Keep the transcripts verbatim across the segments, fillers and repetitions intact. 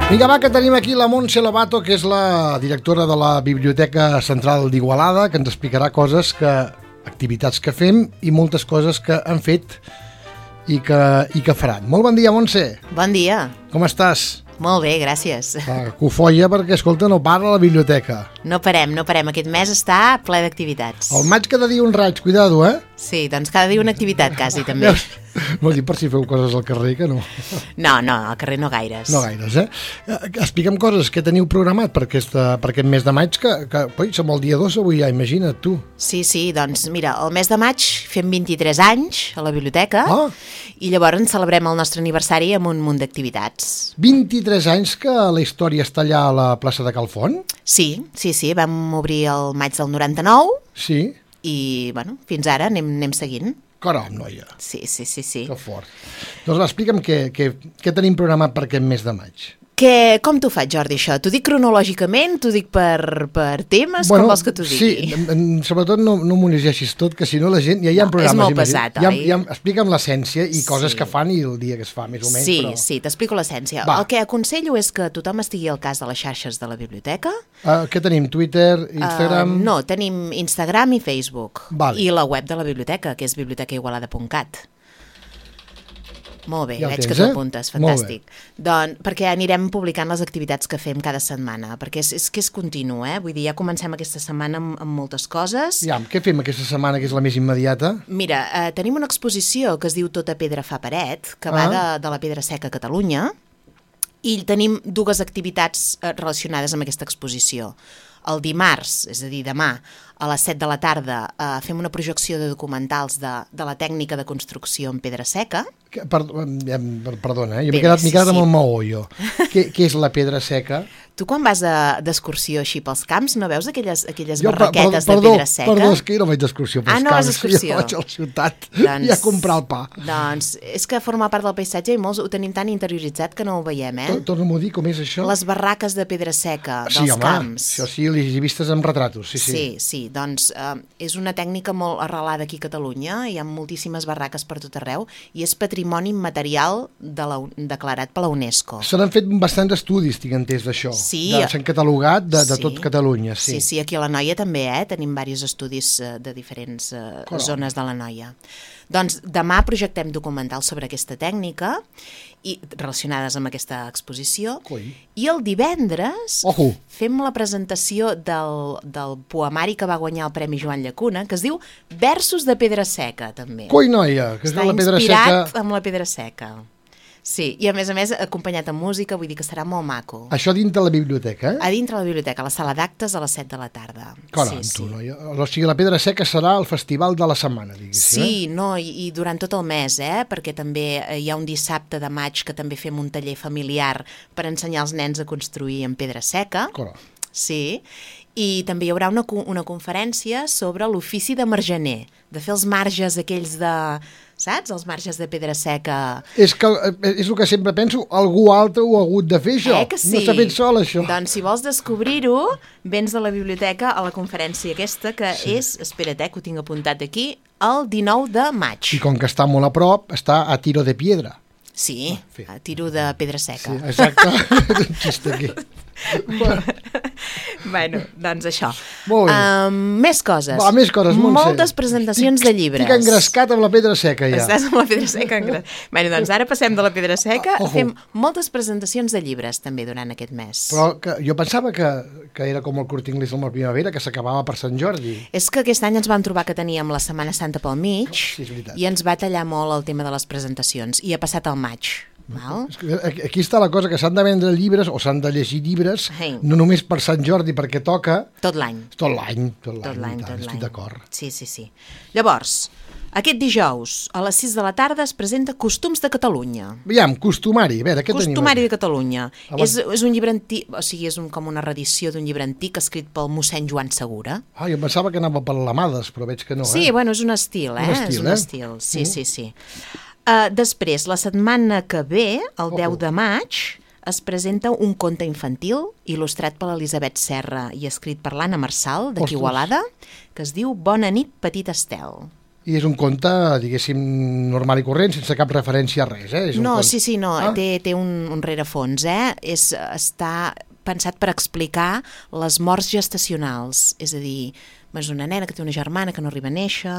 Vinga, va, que tenim aquí la Montse Lobato, que és la directora de la Biblioteca Central d'Igualada, que ens explicarà coses que, activitats que fem i moltes coses que han fet i que, i que faran. Molt bon dia, Montse. Bon dia. Com estàs? Molt bé, gràcies. Ah, cofoia perquè, escolta, no para la biblioteca. No parem, no parem. Aquest mes està ple d'activitats. El maig cada dia un raig, cuidado, eh? Sí, doncs cada dia una activitat, quasi, també. Vol dir per si feu coses al carrer, que no. No, no, al carrer no gaires. No gaires, eh? Explica'm coses que teniu programat per, aquesta, per aquest mes de maig, que, que oi, som el dia dos avui ja, imagina't tu. Sí, sí, doncs mira, el mes de maig fem vint-i-tres anys a la biblioteca ah. i llavors celebrem el nostre aniversari amb un munt d'activitats. vint-i-tres anys que la història està allà a la plaça de Calfont? Sí, sí, sí, vam obrir el maig del noranta-nou. Sí. I, bueno, fins ara anem, anem seguint. Caram, noia. Sí, sí, sí, sí. Que fort. Doncs explica'm què, què, què tenim programat per aquest mes de maig. Que, com t'ho faig, Jordi, això? T'ho dic cronològicament? T'ho dic per, per temes? Bueno, com vols que t'ho digui? Sí, sobretot no, no m'ho llegeixis tot, que si no la gent... Ja hi ha no, programes. És molt pesat, ja, oi? Ja, explica'm l'essència i sí. coses que fan i el dia que es fa, més o menys. Sí, però... sí, t'explico l'essència. El que aconsello és que tothom estigui al cas de les xarxes de la biblioteca. Uh, què tenim? Twitter, Instagram? Uh, no, tenim Instagram i Facebook. Vale. I la web de la biblioteca, que és biblioteca igualada punt cat. Molt bé, ja veig tens, que t'apuntes, eh? fantàstic. Doncs perquè anirem publicant les activitats que fem cada setmana, perquè és, és que és continu, eh? Vull dir, ja comencem aquesta setmana amb, amb moltes coses. Ja, què fem aquesta setmana, que és la més immediata? Mira, eh, tenim una exposició que es diu Tota pedra fa paret, que ah. va de, de la Pedra Seca a Catalunya, i tenim dues activitats eh, relacionades amb aquesta exposició. El dimarts, és a dir, demà, a les set de la tarda, eh, fem una projecció de documentals de, de la tècnica de construcció en pedra seca. Per, perdona, eh? jo m'he quedat, sí, quedat sí. amb el maó, jo. què, què és la pedra seca? Tu quan vas d'excursió així pels camps no veus aquelles, aquelles jo, barraquetes perdó, de pedra seca? Perdó, és que jo no vaig d'excursió pels ah, no camps. Vas d'excursió? Jo vaig a la ciutat doncs, i a comprar el pa. Doncs és que forma part del paisatge i molts ho tenim tan interioritzat que no ho veiem, eh? Torna-m'ho a dir, com és això? Les barraques de pedra seca sí, dels home, camps. Sí, home, això sí, les he vistes amb retratos, sí, sí. Sí, sí, doncs eh, és una tècnica molt arrelada aquí a Catalunya, hi ha moltíssimes barraques per tot arreu i és patrimoni immaterial de la, declarat per la UNESCO. Se n'han fet bastants estudis, tinc entès, d'això. Sí. S'han catalogat de, de sí. tot Catalunya, sí. Sí, sí, aquí a l'Anoia també, eh? Tenim diversos estudis eh, de diferents eh, zones de l'Anoia. Doncs demà projectem documentals sobre aquesta tècnica i relacionades amb aquesta exposició. Coi. I el divendres Ojo. fem la presentació del, del poemari que va guanyar el Premi Joan Llacuna, que es diu Versos de pedra seca, també. Coi, noia, que és Està la pedra inspirat seca... amb la pedra seca. Sí, i a més a més acompanyat amb música, vull dir que serà molt maco. Això dintre la biblioteca, eh? A dintre la biblioteca, a la sala d'actes a les set de la tarda. Caram, sí, tu, sí. noia. O sigui, la pedra seca serà el festival de la setmana, diguéssim, Sí, eh? no, i, i durant tot el mes, eh? Perquè també hi ha un dissabte de maig que també fem un taller familiar per ensenyar als nens a construir en pedra seca. Caram. Sí, i també hi haurà una, una conferència sobre l'ofici de margener, de fer els marges aquells de... Saps? Els marges de pedra seca. És que és el que sempre penso, algú altre ho ha hagut de fer, això. Eh que sí? No s'ha fet sol, això. Doncs si vols descobrir-ho, vens a la biblioteca a la conferència aquesta, que sí. és, espera't, eh, que ho tinc apuntat aquí, el dinou de maig. I com que està molt a prop, està a tiro de piedra. Sí, a tiro de pedra seca. Sí, exacte. Un xiste aquí. Bueno. bueno, doncs això. Molt bé. Um, més coses. Va, més coses, Montse. Moltes presentacions estic, de llibres. Estic engrescat amb la pedra seca, ja. Estàs amb la pedra seca engrescat. Bueno, doncs ara passem de la pedra seca, Ojo. fem moltes presentacions de llibres també durant aquest mes. Però que, jo pensava que, que era com el Corte Inglés amb la primavera, que s'acabava per Sant Jordi. És que aquest any ens vam trobar que teníem la Setmana Santa pel mig, sí, és veritat. I ens va tallar molt el tema de les presentacions, i ha passat al maig. Val? Aquí està la cosa, que s'han de vendre llibres o s'han de llegir llibres, hey. no només per Sant Jordi, perquè toca... Tot l'any. Tot l'any, tot Tot l'any, tot estic l'any. d'acord. Sí, sí, sí. Llavors, aquest dijous, a les sis de la tarda, es presenta Costums de Catalunya. Aviam, costumari, a veure, què tenim? Costumari de Catalunya. Abans... És, és un llibre antic, o sigui, és un, com una reedició d'un llibre antic escrit pel mossèn Joan Segura. Ah, jo pensava que anava per l'Amades, però veig que no, sí, eh? bueno, és un estil, eh? Un estil, és un eh? estil, sí, Mm. sí, sí. Uh, després, la setmana que ve, el Oh, deu oh. de maig, es presenta un conte infantil il·lustrat per l'Elisabet Serra i escrit per l'Anna Marçal, d'aquí Ostres. Igualada, que es diu Bona nit, petit Estel. I és un conte, diguéssim, normal i corrent, sense cap referència a res, eh? És un no, conte. sí, sí, no, ah? té, té un, un rerefons, eh? És, està pensat per explicar les morts gestacionals, és a dir, és una nena que té una germana que no arriba a néixer,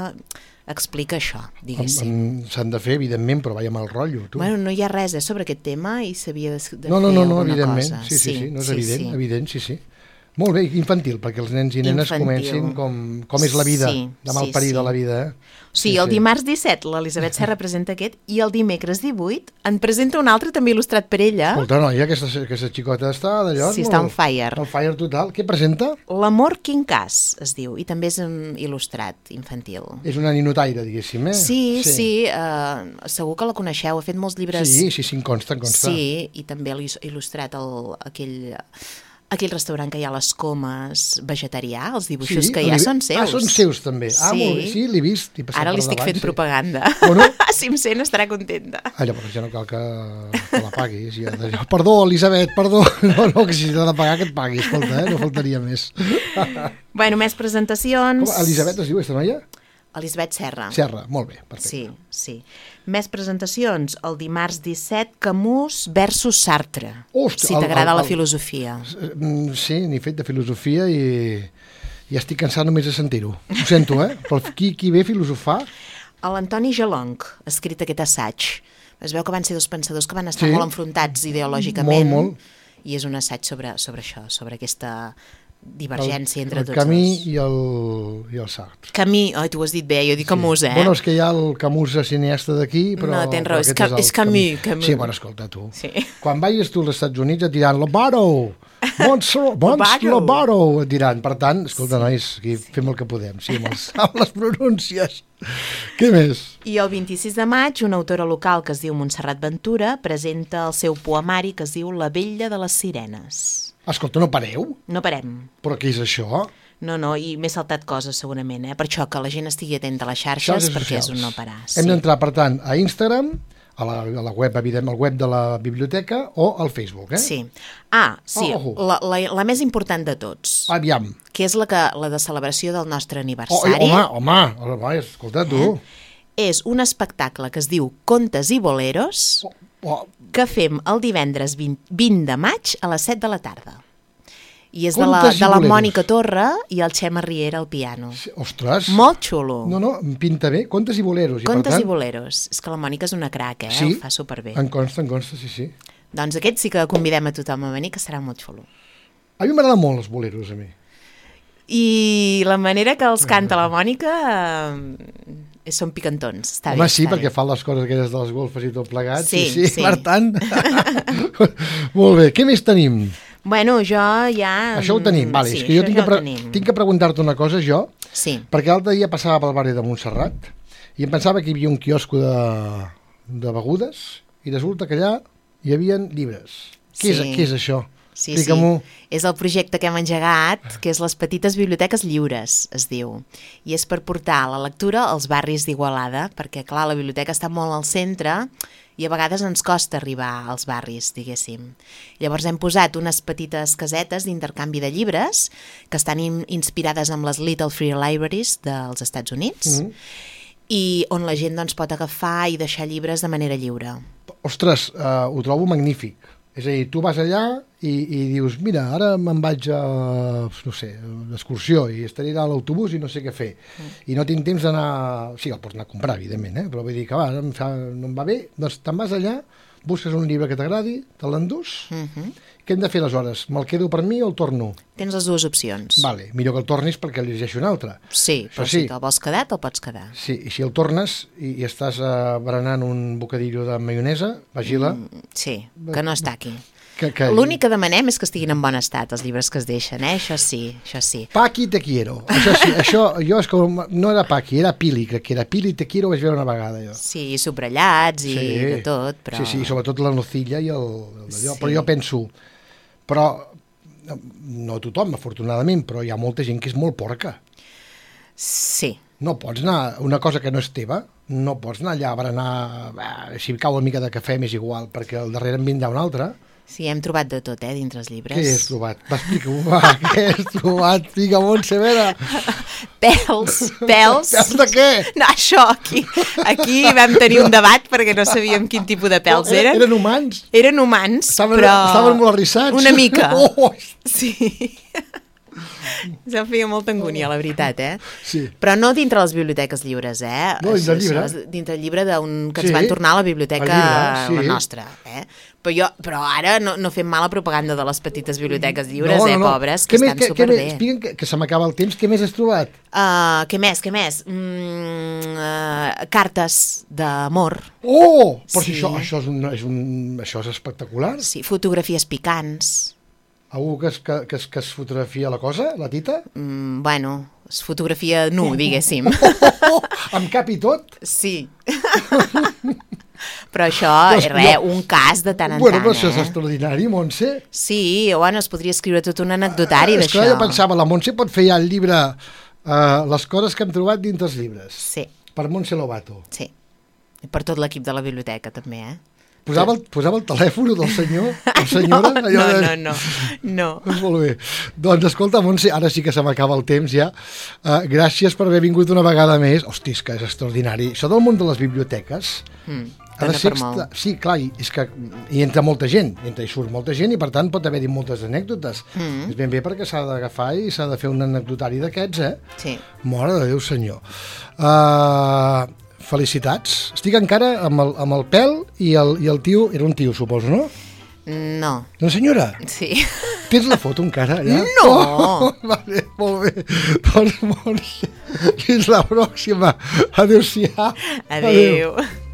explica això, diguéssim. S'han de fer, evidentment, però vaja mal rotllo, tu. Bueno, no hi ha res eh, sobre aquest tema i s'havia de, de no, no, fer no, no, alguna evidentment. cosa. Sí, sí, sí, no és sí, evident, sí. evident, sí, sí. Molt bé, infantil, perquè els nens i nenes Infantil. comencin com, com és la vida, Sí, de mal sí, parir sí. de la vida. Eh? O sigui, el dimarts disset l'Elisabet Serra presenta aquest i el dimecres divuit en presenta un altre també il·lustrat per ella. Escolta, noia, aquesta, aquesta xicota està d'allò... Sí, està on fire. On fire total. Què presenta? L'amor quincàs, es diu, i també és un il·lustrat infantil. És una ninotaire, diguéssim, eh? Sí, sí, sí uh, segur que la coneixeu, ha fet molts llibres... Sí, sí, sí, em consta, em consta. Sí, i també ha il·lustrat el, aquell... aquell restaurant que hi ha a les Comes vegetarià, els dibuixos sí, que hi ha li... són seus. Ah, són seus també. Ah, sí. molt bé, sí, l'he vist. Ara li estic davant, fent sí. propaganda. Bueno. Si em sent estarà contenta. Ah, llavors ja no cal que, que la paguis. Ja. Perdó, Elisabet, perdó. No, no, que si t'ha de pagar que et pagui, escolta, eh? No faltaria més. Bueno, més presentacions. Com, Elisabet es diu, aquesta noia? Elisabet Serra. Serra, molt bé, perfecte. Sí, sí. Més presentacions. El dimarts disset, Camus versus Sartre. Ostres, si t'agrada la filosofia. Sí, n'he fet de filosofia i, i estic cansat només de sentir-ho. Ho sento, eh? Però qui, qui ve a filosofar? L'Antoni Gelonc ha escrit aquest assaig. Es veu que van ser dos pensadors que van estar sí. molt enfrontats ideològicament. Molt, molt. I és un assaig sobre, sobre això, sobre aquesta divergència el, entre el tots Camus dos. i el, i el Sartre. Camus, oi, tu ho has dit bé, jo dic Camus, sí. eh? Bueno, és que hi ha el Camus cineasta d'aquí, però... No, tens raó, és, ca és, és Camus, Camus. Sí, bueno, escolta, tu. Sí. Quan vagis tu als Estats Units et diran Lobato, Mons Lobato, et diran. Per tant, escolta, sí. nois, aquí fem el que podem, sí, amb, els, amb les pronúncies. Què més? I el vint-i-sis de maig, una autora local que es diu Montserrat Ventura presenta el seu poemari que es diu La vella de les sirenes. Escolta, no pareu? No parem. Però què és això? No, no, i m'he saltat coses segurament, eh? Per això que la gent estigui atenta a les xarxes, xarxes perquè socials. És un no parar. Sí. Hem d'entrar, per tant, a Instagram, a la, a la web, evident, al web de la biblioteca o al Facebook, eh? Sí. Ah, sí, oh, oh. La, la, la més important de tots. Aviam. Que és la, que, la de celebració del nostre aniversari. Oh, home, home, home, escolta, tu. Eh? És un espectacle que es diu Contes i Boleros, oh, oh. que fem el divendres vint, vint de maig a les set de la tarda. I és de la, Contes i de la boleros. Mònica Torra i el Xema Riera al piano. Sí, ostres. Molt xulo. No, no, em pinta bé. Contes i boleros. I Contes per tant... i boleros. És que la Mònica és una crac, eh? Sí? Ho fa superbé. En consta, en consta, sí, sí. Doncs aquest sí que convidem a tothom a venir, que serà molt xulo. A mi m'agraden molt els boleros, a mi. I la manera que els canta la Mònica eh, són picantons. Està Home, bé, sí, està perquè bé. fa les coses aquelles de les golfes i tot plegat. Sí, sí, sí, sí. per tant. Molt bé, què més tenim? Bueno, jo ja... Això ho tenim, vale. Sí, és que jo tinc ja que, pre tenim. tinc que preguntar-te una cosa, jo, Sí. perquè l'altre dia passava pel barri de Montserrat i em pensava que hi havia un quiosco de, de begudes i resulta que allà hi havia llibres. Què, Sí. és, què és això? Sí, Explica-m'ho. sí. És el projecte que hem engegat, que és les petites biblioteques lliures, es diu. I és per portar la lectura als barris d'Igualada, perquè, clar, la biblioteca està molt al centre i a vegades ens costa arribar als barris, diguéssim. Llavors hem posat unes petites casetes d'intercanvi de llibres que estan in inspirades amb les Little Free Libraries dels Estats Units Mm -hmm. i on la gent doncs, pot agafar i deixar llibres de manera lliure. Ostres, uh, ho trobo magnífic. És a dir, tu vas allà i, i dius, mira, ara me'n vaig a, no sé, d'excursió i estaré a l'autobús i no sé què fer. Mm. I no tinc temps d'anar... Sí, el pots anar a comprar, evidentment, eh? Però vull dir que va, em fa, no em va bé, doncs te'n vas allà, busques un llibre que t'agradi, te l'endús. Mm -hmm. Què hem de fer aleshores? Me'l quedo per mi o el torno? Tens les dues opcions. Vale, millor que el tornis perquè el llegeixo un altre. Sí, però sí. si te'l vols quedar, te'l pots quedar. Sí, i si el tornes i, i estàs uh, berenant un bocadillo de maionesa, vagila... Mm, sí, que no està aquí. Que, que... L'únic que demanem és que estiguin en bon estat, els llibres que es deixen, eh? Això sí, això sí. Paqui te quiero. Això sí, això jo és com... No era Paqui, era Pili, crec que era Pili te quiero, ho vaig veure una vegada, jo. Sí, subratllats i Sí. de tot, però... Sí, sí, sobretot la nocilla i el... el d'allò. Sí. Però jo penso... Però no tothom, afortunadament, però hi ha molta gent que és molt porca. Sí. No pots anar... Una cosa que no és teva, no pots anar allà a berenar... Eh, si cau una mica de cafè m'és igual, perquè al darrere en vindrà un altre. Sí, hem trobat de tot, eh, dintre els llibres. Què has trobat? Va, explica-ho, va, què has trobat? Vinga, Montse, a veure. Pèls, pèls. Pèls de què? No, això, aquí, aquí vam tenir un debat perquè no sabíem quin tipus de pèls Oh, eren. Eren humans? Eren humans, Estaven, però... estaven molt arrissats. Una mica. Oh, Sí. Se'm feia molta angúnia, la veritat, eh? sí. Però no dintre les biblioteques lliures, eh? No, dintre el Això llibre. és dintre el llibre d'un que Sí. ens van tornar a la biblioteca, El llibre, sí. la nostra, eh? Però, jo, però ara no, no fem mala propaganda de les petites biblioteques lliures, No, no, eh, no. pobres, que Què més- estan què- què superbé. més? Explica'm que, que se m'acaba el temps. Què més has trobat? Uh, què més, què més? Mm, uh, cartes d'amor, Oh! Però Sí. si això, això, és un, és un, això és espectacular. sí, fotografies picants, Algú que es, que, que, es, que es fotografia la cosa, la tita? mm, bueno, es fotografia nu, diguéssim. Oh, amb cap i tot? Sí. Però això Però és és- res, jo- un cas de tant en Bueno, tant, però això és eh? extraordinari, Montse. Sí, o bueno, es podria escriure tot un anecdotari És d'això. que jo pensava, la Montse pot fer ja el llibre uh, Les coses que hem trobat dintre els llibres. Sí, Per Montse Lobato. sí. I per tot l'equip de la biblioteca, també, eh? Posava el, posava el telèfon del senyor, o senyora? No, allò no, de- no, no, no. Molt bé. Doncs escolta, Montse, ara sí que se m'acaba el temps ja. Uh, gràcies per haver vingut una vegada més. Hosti, és que és extraordinari. Això del món de les biblioteques Mm, ha de dona ser... per molt. extra- Sí, clar, i és que hi entra molta gent, entra i surt molta gent i per tant pot haver-hi moltes anècdotes. Mm. És ben bé perquè s'ha d'agafar i s'ha de fer un anecdotari d'aquests, eh? Sí. Mare de Déu senyor. Uh, felicitats. Estic encara amb el, amb el pèl i el, i el tio... Era un tio, suposo, no? No, Una senyora? sí. Tens la foto encara, allà? No! Oh, vale, molt bé. Doncs, Montse, fins la pròxima. Adéu-siau. Adéu. Adéu.